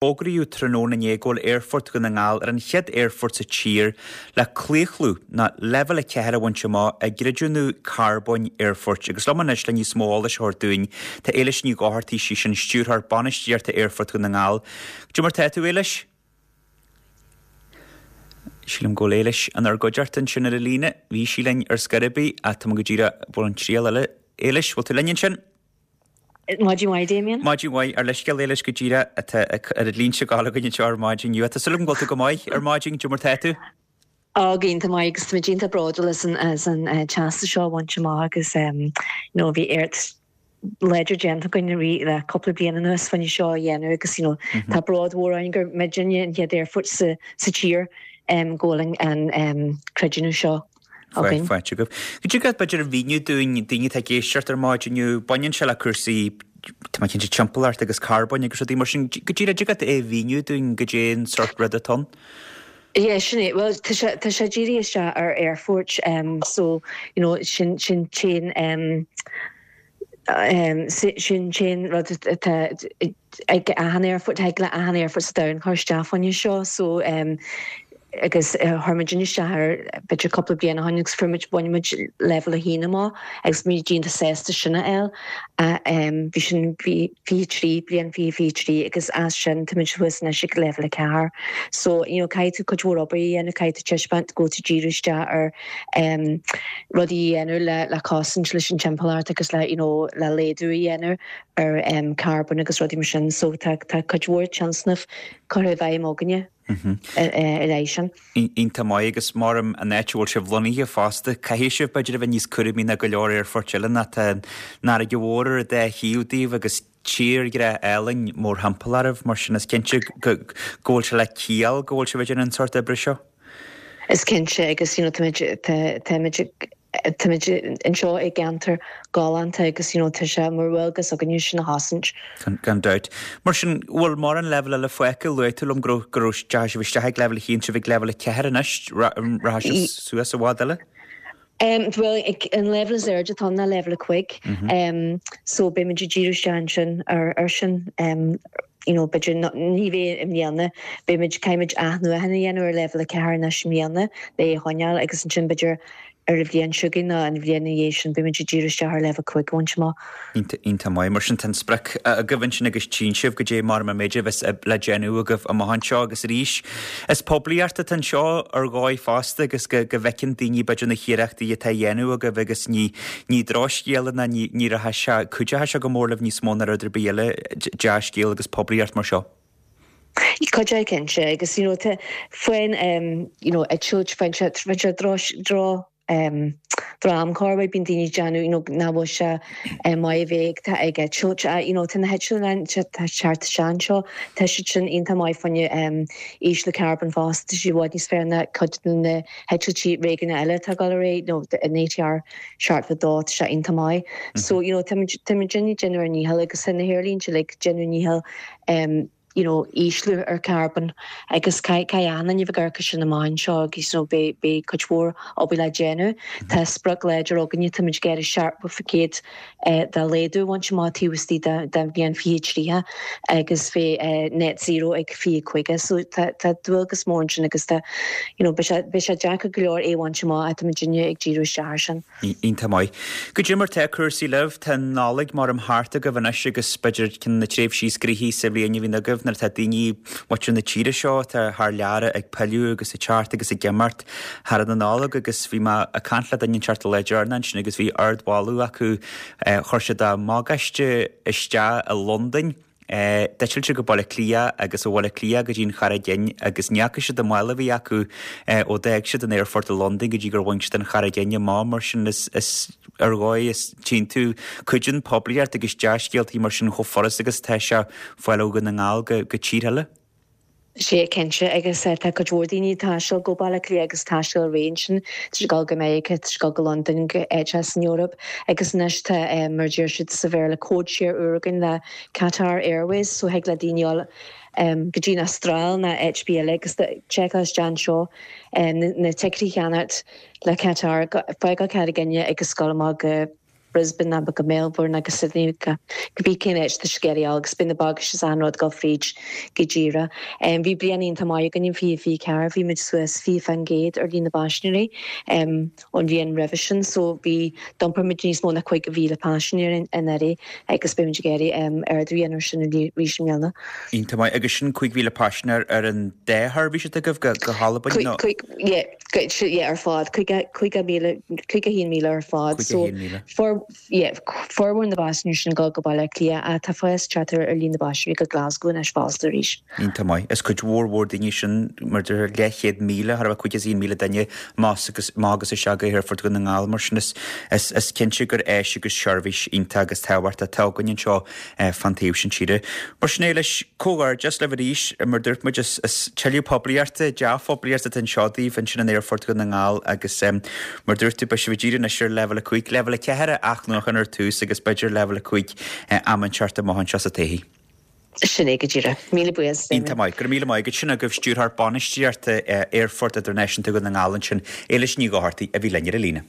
Fógraíodh tráthnóna inné go bhfuil Aerfort Dhún na nGall ar an chéad aerfort sa tír le claochlú nó Leibhéal 4 a bhaint amach i gcreidiúnú carbóin aerfoirt. Agus liom anois le níos mó eolais a thabhairt dúinn tá Éilis Ní Dhochartaigh, sí sin Stiúrthóir Bainistíochta Aerfort Dhún na nGall. Cad é mar tá tú, Éilis? Sílim go bhfuil Éilis inár gcuideachta ansin ar an líne. Bhí sí linn ar scor ar bith ach tá mé go díreach bhfuil an triail eile. Éilis, bhfuil tú linn ansin? Maidin mhaith, Damien. Maidin mhaith. Ár leithscéal Éilis go díreach atá ar an línte ag gabháil againn anseo ar maidin inniu. Tá súil agam go bhfuil tú go maith ar maidin, cad é mar tá tú? Á, go iontach maith agus táimid iontach bródúil as an as an teastas seo a bhaint amach agus you know bhí iarracht láidir déanta againn i rith le cúpla bliain anuas fá choinne seo a dhéanamh agus you know tá bród mhór orainn gur muidinne an chéad aerfort sa sa tír go bhfuil an an creidiúnú seo againn. Faighte agaibh. Go dtig leat b'fhéidir a mhíniú dúinn, daoine atá ag éisteacht ar maidin inniu, baineann sé le cúrsaí, tá mé cinnte, timpeallacht agus carbóin agus rudaí mar sin. Go díreach, dtig leat é a mhíniú dúinn goidé an sórt rud atá ann? Yeah, sin é. Bhuel, tá sé, tá sé dírithe isteach ar aerfoirt, so, you know, sin, sin t-aon, sin t-aon rud atá ag achan aerfort, thig le achan aerfort sa domhan cur isteach fá choinne seo, so agus chuir muid isteach air b'fhéidir cúpla bliain ó shin agus fuair muid, bhain muid leibhéal a haon amach agus bhí muid iontach sásta sin a fháil. Bhí sin 23, bliain 2023 agus as sin tá muid thuas anois ag leibhéal a ceathair. So you know caithfidh tú cuid mhór obair a dhéanamh, caithfidh tú taispeáint go bhfuil tú díriú isteach ar rudaí a dhéanamh le le cosaint leis an timpeallacht agus le you know le laghdú a dhéanamh ar carbón agus rudaí mar sin so tá tá cuid mhór tionscnamh curtha i bhfeidhm againne i leith sin. Iontach maith agus maram an áit a bhfuil sibh lonnaithe fosta, caithfidh sibh b'fhéidir a bheith níos cúramaí ná go leor aerfoirt eile nó tá an fharraige mhór ar an dá thaobh daoibh agus tírdhreach álainn mórthimpeall oraibh, mar sin is cinnte go bhfuil sé le ciall go bhfuil sibh ag déanamh an sórt oibre seo. Is cinnte agus you know táimid táimid táimid anseo i gceantar galánta agus you know tá sé mar dhualgas againne sin a chosaint. Gan dabht. Mar sin, bhfuil mórán leibhéal eile fágtha? Luaigh tú liom go raibh go raibh deachaigh sibh isteach ag leibhéal a haon, sibh ag leibhéal a ceathair anois, rachaidh sibh suas i bhfad eile? Bhuel, an leibhéal is airde atá ann ná leibhéal a cuig. So beimid ag díriú isteach ansin ar sin. You know, b'fhéidir ní bheidh i mbliana, beimid, caithfimid athnuachan a dhéanamh ar leibhéal a ceathair anois i mbliana le é a choinneáil agus ansin b'fhéidir ar an bhliain seo chugainn nó an bhliain ina dhiaidh sin beimid ag díriú isteach ar leibhéal 5 a bhaint amach. Iontach maith. Mar sin tá an sprioc agaibh ansin agus tchíonn sibh goidé mar an méid a bheas le déanamh agaibh amach anseo agus arís is poiblíocht atá anseo ar dhóigh fosta agus go go bhfeiceann daoine b'fhéidir na hiarrachtaí atá á dhéanamh agaibh agus ní ní drochscéal ná ní ní rachaidh sé cuideoidh sé go mór libh níos mó ná rud ar bith eile dea-scéal agus poiblíocht mar seo. Cuideoidh cinnte agus you know tá faoin you know eitilt faoin sé faoin sé droch droch droch-amchóir bíonn daoine ag déanamh you know nach bhfuil sé maith a bheith ag ag eitilt you know tá na heitleáin tá teacht isteach anseo tá siad sin iontach maith fá choinne ísliú carbóin fosta tá siad i bhfad níos fearr ná cuid de na heitiltí réigiúnacha eile atá ag dul ar aghaidh you know an ATR 72 tá sé iontach maith so you know tá muid tá muid ag déanamh ár ndícheall agus tá na haerlínte uilig ag déanamh a ndícheall you know, ísliú ar carbón agus caithfidh achan duine a bheith ag amharc air sin amach anseo agus you know, beidh, beidh cuid mhór obair le déanamh. Tá sprioc láidir againne, táimid ag iarraidh 70% de laghdú a bhaint amach taobh istigh den bhliain 2030 agus bheith net zero ag 2050. So tá, tá dualgas mór ansin agus tá, you know, beidh sé, beidh sé deacair go leor é a bhaint amach ach táimid ag díriú isteach air sin. Iontach maith. Goidé mar tá cúrsaí libh? Tá an Nollaig maram thart agaibh anois agus b'fhéidir ceann de na tréimhsí is gnoithí sa bhliain a bhíonn agaibh nuair atá daoine, muintir na tíre seo atá thar lear ag pilleadh agus ag teacht agus ag imeacht thar na Nollag agus bhí mé ag caint le duine inteacht an lá deireanach ansin agus bhí ardmholadh acu, chuir siad a mbagáiste isteach i Londain. D'eitil siad go Baile Átha Cliath agus ó Bhaile Átha Cliath go dtí an Charraig Fhinn agus ní fhaca siad an mála a bhí acu ó d'fhág siad an aerfort i Londain go dtí gur bhain siad an Charraig Fhinn amach. Mar sin is ar dhóigh is tchíonn tú cuidíonn poiblíocht agus dea-scéaltaí mar sin chomh furast agus atá sé fáil ó Dhún na nGall go tír eile. Sea, cinnte, agus tá cuid mhór daoine ag taisteal go Baile Átha Cliath agus taisteal ar aghaidh ansin, tá siad ag dul go Meiriceá, tá siad ag dul go Londain, go áiteacha san Eoraip agus anois tá, mar a deir siad sa Bhéarla, code share úr againn le Qatar Airways so thig le daoine dul go dtí an Astráil nó áit ar bith eile agus seiceáil isteach anseo na ticéidí a cheannacht le Qatar, fágáil Carraig Fhinne agus dul amach go. Brisbane ná go Melbourne ná go Sydney go cibé cén áit atá siad ag iarraidh a dhul agus beidh na bagáiste is achan rud ag dul fríd go díreach. Bhí bliain iontach maith againn in 2024, bhí muid suas 20% ar líon na bpaisinéirí ón bhliain roimhe sin so bhí, d'iompair muid níos mó ná 50,000 paisinéir anuraidh agus beidh muid ag iarraidh ardú a dhéanamh ar sin arís i mbliana. Iontach maith. Agus sin 5,000 paisinéir ar an dá sheirbhís atá agaibh go hAlbain nó? Yeah, yeah, ar fad, 50,000, 51,000 ar fad. So, 51,000. for, yeah, formhór na bpaisinéirí sin ag dul go Baile Átha Cliath ach tá fás ag teacht ar líon na bpaisinéirí go Glasgow anois fosta arís. Iontach maith. Is cuid mhór mhór daoine sin, mar deir leathchéad míle, thar a bheith 51,000 duine amach agus amach agus isteach go hAerfort Dhún na nGall mar sin is, is, is cinnte gur áis agus seirbhís iontach agus tábhachtach atá againn anseo fán taobh sin tíre. Mar sin é leis, comhghairdeas libh arís, mar dúirt muid, is tuilleadh poiblíochta, dea-phoiblíocht atá anseo daoibh ansin in Aerfort Dhún na nGall agus mar dúirt tú, beidh sibh ag díriú anois ar Leibhéal 5, Leibhéal 4 a athnuachan ar tús agus b'fhéidir Leibhéal 5 am inteacht amach anseo sa todhchaí. Sin é go díreach. Míle buíochas, Damien. Iontach maith. Go raibh míle maith agat. Sin agaibh Stiúrthóir Bainistíochta Aerfort Idirnáisiúnta Dhún na nGall ansin, Éilis Ní Dhochartaigh, a bhí linn ar an líne.